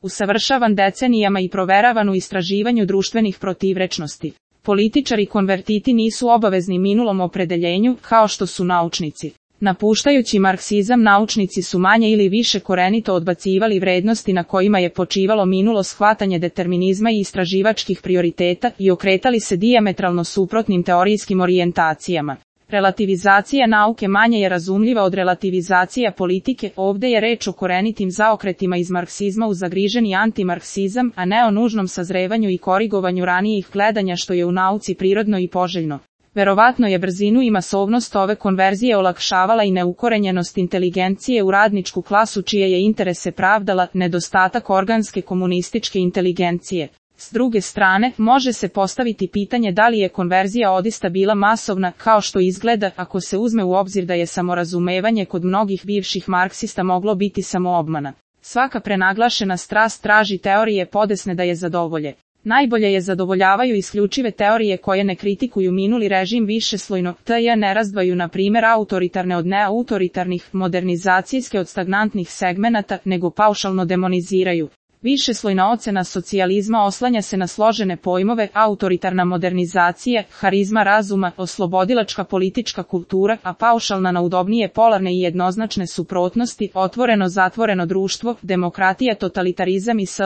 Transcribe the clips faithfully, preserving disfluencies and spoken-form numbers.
usavršavan decenijama i proveravan u istraživanju društvenih protivrečnosti. Političari konvertiti nisu obavezni minulom opredeljenju, kao što su naučnici. Napuštajući marksizam, naučnici su manje ili više korenito odbacivali vrednosti na kojima je počivalo minulo shvatanje determinizma i istraživačkih prioriteta i okretali se dijametralno suprotnim teorijskim orijentacijama. Relativizacija nauke manje je razumljiva od relativizacija politike, ovde je reč o korenitim zaokretima iz marksizma u zagriženi antimarksizam, a ne o nužnom sazrevanju i korigovanju ranijih gledanja što je u nauci prirodno i poželjno. Verovatno je brzinu i masovnost ove konverzije olakšavala i neukorenjenost inteligencije u radničku klasu čije je interese pravdala nedostatak organske komunističke inteligencije. S druge strane, može se postaviti pitanje da li je konverzija odista bila masovna, kao što izgleda ako se uzme u obzir da je samorazumevanje kod mnogih bivših marksista moglo biti samoobmana. Svaka prenaglašena strast traži teorije podesne da je zadovolje. Najbolje je zadovoljavaju isključive teorije koje ne kritikuju minuli režim višeslojno, te ne razdvaju na primjer autoritarne od neautoritarnih, modernizacijske od stagnantnih segmenata, nego paušalno demoniziraju. Višeslojna ocena socijalizma oslanja se na složene pojmove, autoritarna modernizacija, harizma razuma, oslobodilačka politička kultura, a paušalna na udobnije polarne i jednoznačne suprotnosti, otvoreno-zatvoreno društvo, demokratija, totalitarizam i sl.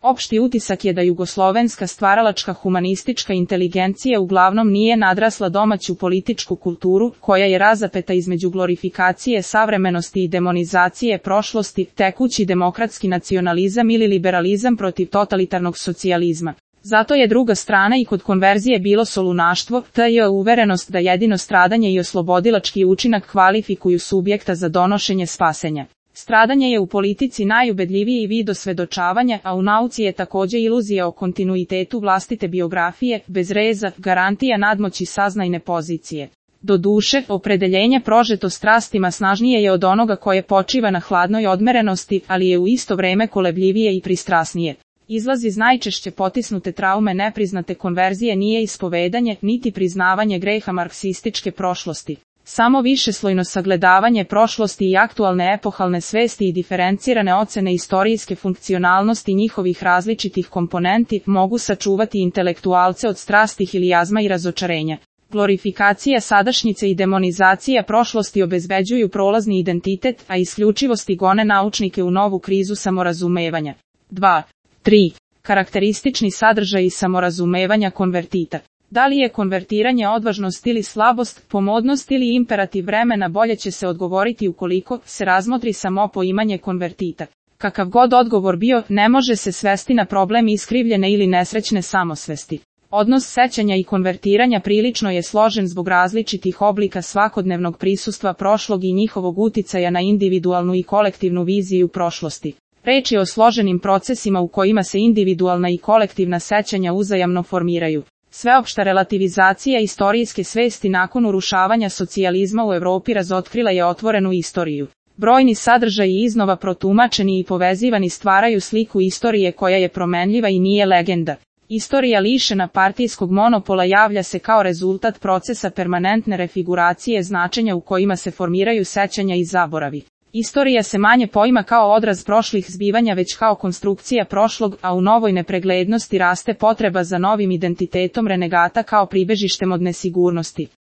Opšti utisak je da jugoslovenska stvaralačka humanistička inteligencija uglavnom nije nadrasla domaću političku kulturu, koja je razapeta između glorifikacije savremenosti i demonizacije prošlosti, tekući demokratski nacionalizam ili liberalizam protiv totalitarnog socijalizma. Zato je druga strana i kod konverzije bilo solunaštvo, te je uverenost da jedino stradanje i oslobodilački učinak kvalifikuju subjekta za donošenje spasenja. Stradanje je u politici najubedljiviji vid osvedočavanja, a u nauci je takođe iluzija o kontinuitetu vlastite biografije, bez reza, garantija nadmoći saznajne pozicije. Doduše, opredeljenje prožeto strastima snažnije je od onoga koje počiva na hladnoj odmerenosti, ali je u isto vreme kolebljivije i pristrasnije. Izlaz iz najčešće potisnute traume nepriznate konverzije nije ispovedanje, niti priznavanje greha marksističke prošlosti. Samo višeslojno sagledavanje prošlosti i aktualne epohalne svesti i diferencirane ocene istorijske funkcionalnosti njihovih različitih komponenti mogu sačuvati intelektualce od strastih ili jazma i razočarenja. Glorifikacija sadašnjice i demonizacija prošlosti obezbeđuju prolazni identitet, a isključivosti gone naučnike u novu krizu samorazumevanja. dva. tri. Karakteristični sadržaji samorazumevanja konvertita. Da li je konvertiranje odvažnost ili slabost, pomodnost ili imperativ vremena, bolje će se odgovoriti ukoliko se razmotri samo poimanje konvertita. Kakav god odgovor bio, ne može se svesti na problem iskrivljene ili nesrećne samosvesti. Odnos sećanja i konvertiranja prilično je složen zbog različitih oblika svakodnevnog prisustva prošlog i njihovog uticaja na individualnu i kolektivnu viziju prošlosti. Reč je o složenim procesima u kojima se individualna i kolektivna sećanja uzajamno formiraju. Sveopšta relativizacija istorijske svesti nakon urušavanja socijalizma u Evropi razotkrila je otvorenu istoriju. Brojni sadržaji iznova protumačeni i povezivani stvaraju sliku istorije koja je promenljiva i nije legenda. Istorija lišena partijskog monopola javlja se kao rezultat procesa permanentne refiguracije značenja u kojima se formiraju sećanja i zaboravi. Istorija se manje poima kao odraz prošlih zbivanja već kao konstrukcija prošlog, a u novoj nepreglednosti raste potreba za novim identitetom renegata kao pribežištem od nesigurnosti.